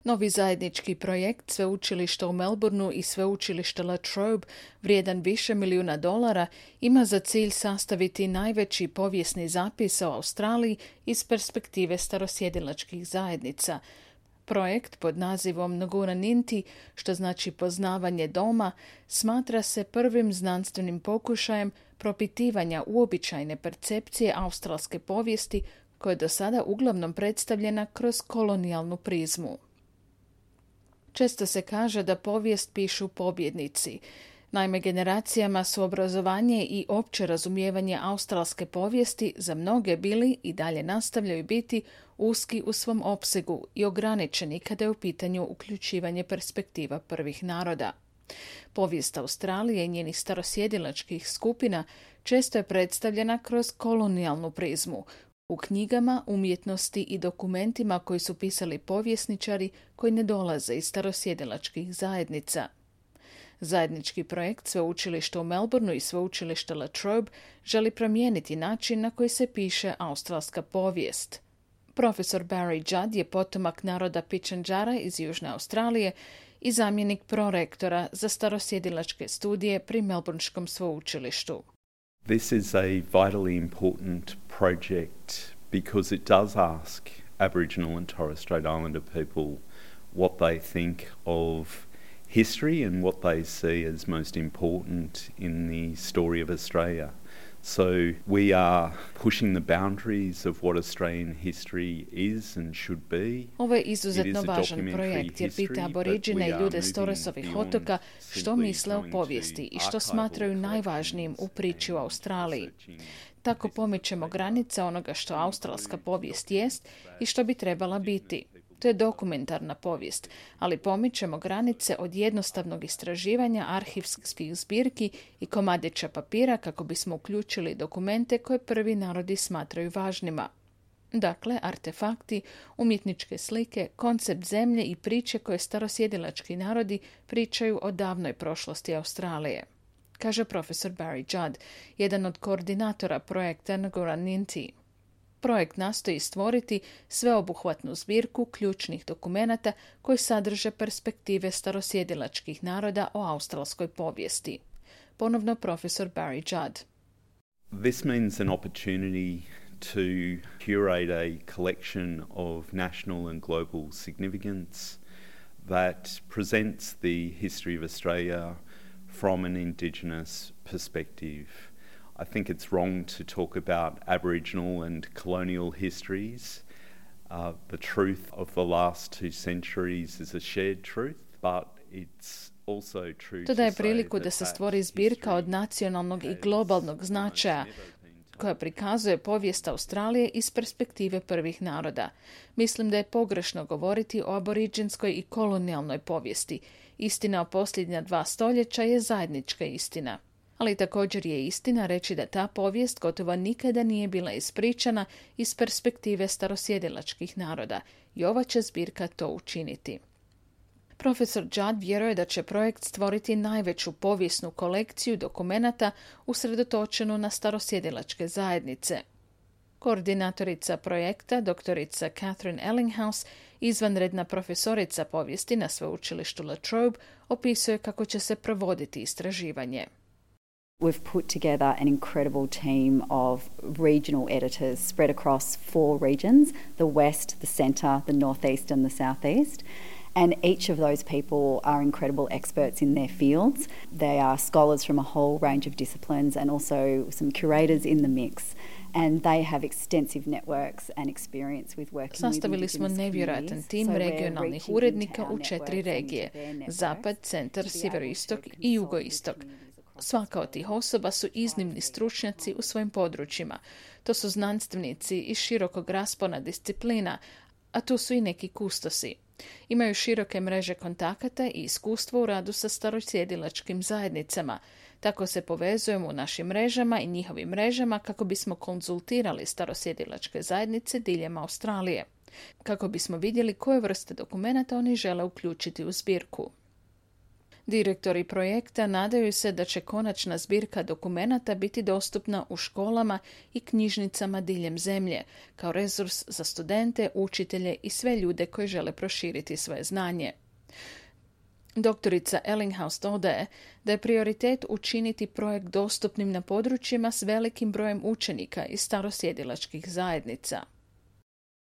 Novi zajednički projekt Sveučilišta u Melbourneu i Sveučilišta La Trobe, vrijedan više milijuna dolara, ima za cilj sastaviti najveći povijesni zapis o Australiji iz perspektive starosjedilačkih zajednica. Projekt pod nazivom Ngurra Ninti, što znači poznavanje doma, smatra se prvim znanstvenim pokušajem propitivanja uobičajene percepcije australske povijesti koja je do sada uglavnom predstavljena kroz kolonijalnu prizmu. Često se kaže da povijest pišu pobjednici. Naime, generacijama su obrazovanje i opće razumijevanje australske povijesti za mnoge bili i dalje nastavljaju biti uski u svom opsegu i ograničeni kada je u pitanju uključivanje perspektiva prvih naroda. Povijest Australije i njenih starosjedilačkih skupina često je predstavljena kroz kolonijalnu prizmu, u knjigama, umjetnosti i dokumentima koji su pisali povjesničari koji ne dolaze iz starosjedilačkih zajednica. Zajednički projekt Sveučilišta u Melbourneu i Sveučilišta La Trobe želi promijeniti način na koji se piše australska povijest. Profesor Barry Judd je potomak naroda Pitjantjatjara iz Južne Australije i zamjenik prorektora za starosjedilačke studije pri Melbourneškom sveučilištu. This is a vitally important project because it does ask Aboriginal and Torres Strait Islander people what they think of history and what they see as most important in the story of Australia. So we are pushing the boundaries of what Australian history is and should be. Ovo je izuzetno važan projekt jer pita Aboriđine i ljude s Torresovih otoka što misle o povijesti i što smatraju najvažnijim u priči u Australiji. Tako pomičemo granice onoga što australska povijest jest i što bi trebala biti. To je dokumentarna povijest, ali pomičemo granice od jednostavnog istraživanja arhivskih zbirki i komadića papira kako bismo uključili dokumente koje prvi narodi smatraju važnima. Dakle, artefakti, umjetničke slike, koncept zemlje i priče koje starosjedilački narodi pričaju o davnoj prošlosti Australije, kaže profesor Barry Judd, jedan od koordinatora projekta Ngurra Ninti. Projekt nastoji stvoriti sveobuhvatnu zbirku ključnih dokumenata koji sadrže perspektive starosjedilačkih naroda o australskoj povijesti. Ponovno profesor Barry Judd. This means an opportunity to curate a collection of national and global significance that presents the history of Australia from an Indigenous perspective. I think it's wrong to talk about Aboriginal and colonial histories. The truth of the last 2 centuries is a shared truth, but it's also true to daje priliku da se stvori zbirka od nacionalnog i globalnog značaja koja prikazuje povijest Australije iz perspektive prvih naroda. Mislim da je pogrešno govoriti o aboriđinskoj i kolonijalnoj povijesti. Istina o posljednja 2 stoljeća je zajednička istina. Ali također je istina reći da ta povijest gotovo nikada nije bila ispričana iz perspektive starosjedilačkih naroda i ova će zbirka to učiniti. Profesor Judd vjeruje da će projekt stvoriti najveću povijesnu kolekciju dokumenata usredotočenu na starosjedilačke zajednice. Koordinatorica projekta, doktorica Catherine Ellinghouse, izvanredna profesorica povijesti na sveučilištu La Trobe, opisuje kako će se provoditi istraživanje. We've put together an incredible team of regional editors spread across 4 regions, the West, the Centre, the Northeast and the Southeast. And each of those people are incredible experts in their fields. They are scholars from a whole range of disciplines and also some curators in the mix. And they have extensive networks and experience with working with Sastavili smo nevjerojatan tim regionalnih urednika u 4 regije, Zapad, Centar, Sjeveroistok i Jugoistok. Svaka od tih osoba su iznimni stručnjaci u svojim područjima. To su znanstvenici iz širokog raspona disciplina, a tu su i neki kustosi. Imaju široke mreže kontakata i iskustvo u radu sa starosjedilačkim zajednicama. Tako se povezujemo u našim mrežama i njihovim mrežama kako bismo konzultirali starosjedilačke zajednice diljem Australije, kako bismo vidjeli koje vrste dokumenata oni žele uključiti u zbirku. Direktori projekta nadaju se da će konačna zbirka dokumenata biti dostupna u školama i knjižnicama diljem zemlje, kao resurs za studente, učitelje i sve ljude koji žele proširiti svoje znanje. Doktorica Ellinghaus dodaje da je prioritet učiniti projekt dostupnim na područjima s velikim brojem učenika iz starosjedilačkih zajednica.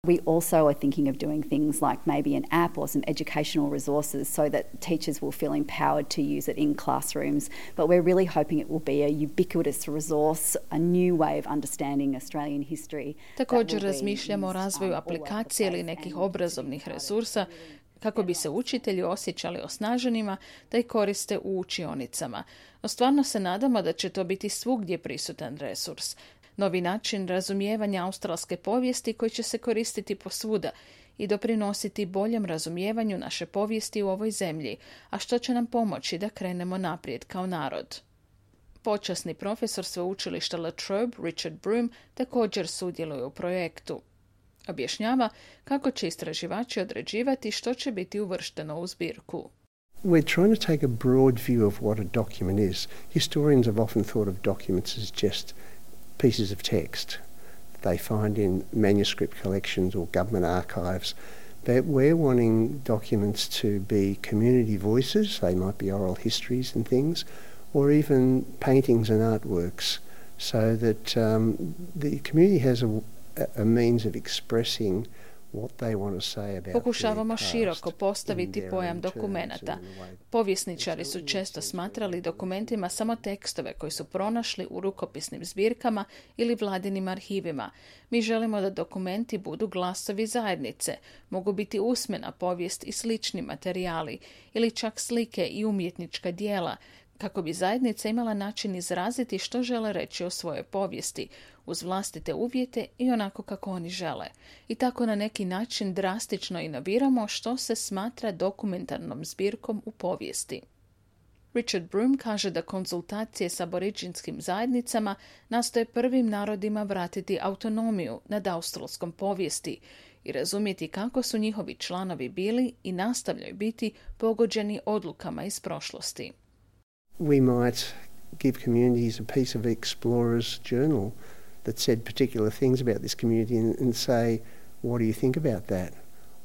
We also are thinking of doing things like maybe an app or some educational resources so that teachers will feel empowered to use it in classrooms. But we're really hoping it will be a ubiquitous resource, a new way of understanding Australian history. Također razmišljamo o razvoju aplikacije ili nekih obrazovnih resursa kako bi se učitelji osjećali osnaženima da ih koriste u učionicama. No stvarno se nadamo da će to biti svugdje prisutan resurs. Novi način razumijevanja australske povijesti koji će se koristiti posvuda i doprinositi boljem razumijevanju naše povijesti u ovoj zemlji, a što će nam pomoći da krenemo naprijed kao narod. Počasni profesor sveučilišta La Trobe, Richard Broome, također sudjeluje u projektu. Objašnjava kako će istraživači određivati što će biti uvršteno u zbirku. We're trying to take a broad view of what a document is. Historians have often thought of documents as just pieces of text they find in manuscript collections or government archives. But we're wanting documents to be community voices. They might be oral histories and things, or even paintings and artworks, so that the community has a means of expressing what they want to say about. Pokušavamo široko postaviti pojam dokumenata. Povjesničari su često smatrali dokumentima samo tekstove koji su pronašli u rukopisnim zbirkama ili vladinim arhivima. Mi želimo da dokumenti budu glasovi zajednice, mogu biti usmena povijest i slični materijali, ili čak slike i umjetnička djela, kako bi zajednica imala način izraziti što žele reći o svojoj povijesti, uz vlastite uvjete i onako kako oni žele. I tako na neki način drastično inoviramo što se smatra dokumentarnom zbirkom u povijesti. Richard Broome kaže da konzultacije s aboriđinskim zajednicama nastoje prvim narodima vratiti autonomiju nad australskom povijesti i razumjeti kako su njihovi članovi bili i nastavljaju biti pogođeni odlukama iz prošlosti. We might give communities a piece of Explorer's journal that said particular things about this community and say, what do you think about that?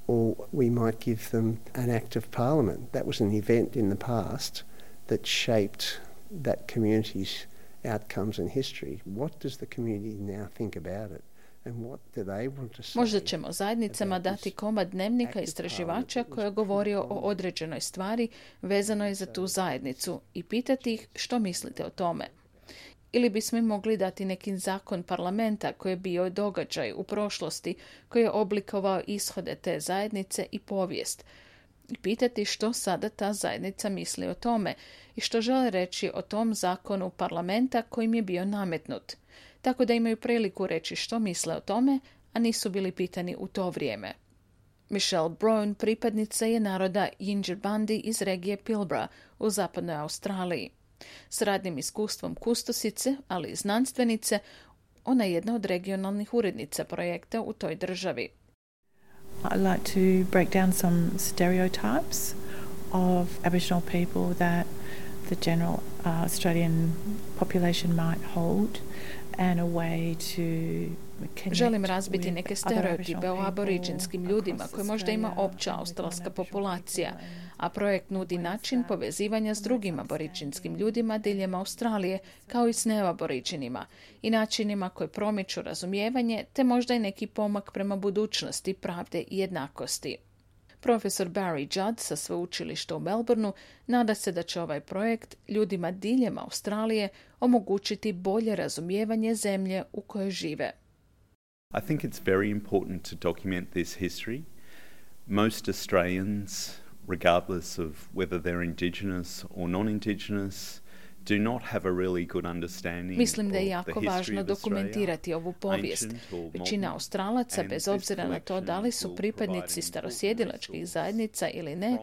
Or we might give them an act of parliament. That was an event in the past that shaped that community's outcomes and history. What does the community now think about it? Možda ćemo zajednicama dati komad dnevnika istraživača koji je govorio o određenoj stvari vezanoj za tu zajednicu i pitati ih što mislite o tome. Ili bismo im mogli dati neki zakon parlamenta koji je bio događaj u prošlosti koji je oblikovao ishode te zajednice i povijest. I pitati što sada ta zajednica misli o tome i što žele reći o tom zakonu parlamenta kojim je bio nametnut. Tako da imaju priliku reći što misle o tome, a nisu bili pitani u to vrijeme. Michelle Brown pripadnica je naroda Yinjirbandi iz regije Pilbara u zapadnoj Australiji. S radnim iskustvom kustosice, ali i znanstvenice, ona je jedna od regionalnih urednica projekta u toj državi. I'd like to break down some stereotypes of Aboriginal people that the general Australian population might hold. Želim razbiti neke stereotipe o aboriđinskim ljudima koje možda ima opća australska populacija, a projekt nudi način povezivanja s drugim aboriđinskim ljudima diljem Australije, kao i s neaboriđinima, i načinima koji promiču razumijevanje, te možda i neki pomak prema budućnosti, pravde i jednakosti. Profesor Barry Judd sa sveučilišta u Melbourneu nada se da će ovaj projekt ljudima diljem Australije omogućiti bolje razumijevanje zemlje u kojoj žive. I think it's very important to document this history. Most Australians, regardless of whether they're Indigenous or non-Indigenous, do not have a really good understanding. Mislim da je jako važno dokumentirati ovu povijest. Većina Australaca, bez obzira na to da li su pripadnici starosjedilačkih zajednica ili ne,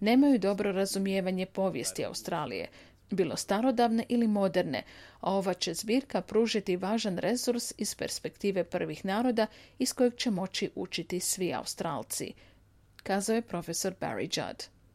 nemaju dobro razumijevanje povijesti Australije, bilo starodavne ili moderne, a ova će zbirka pružiti važan resurs iz perspektive prvih naroda iz kojeg će moći učiti svi Australci, kazao je profesor Barry Judd.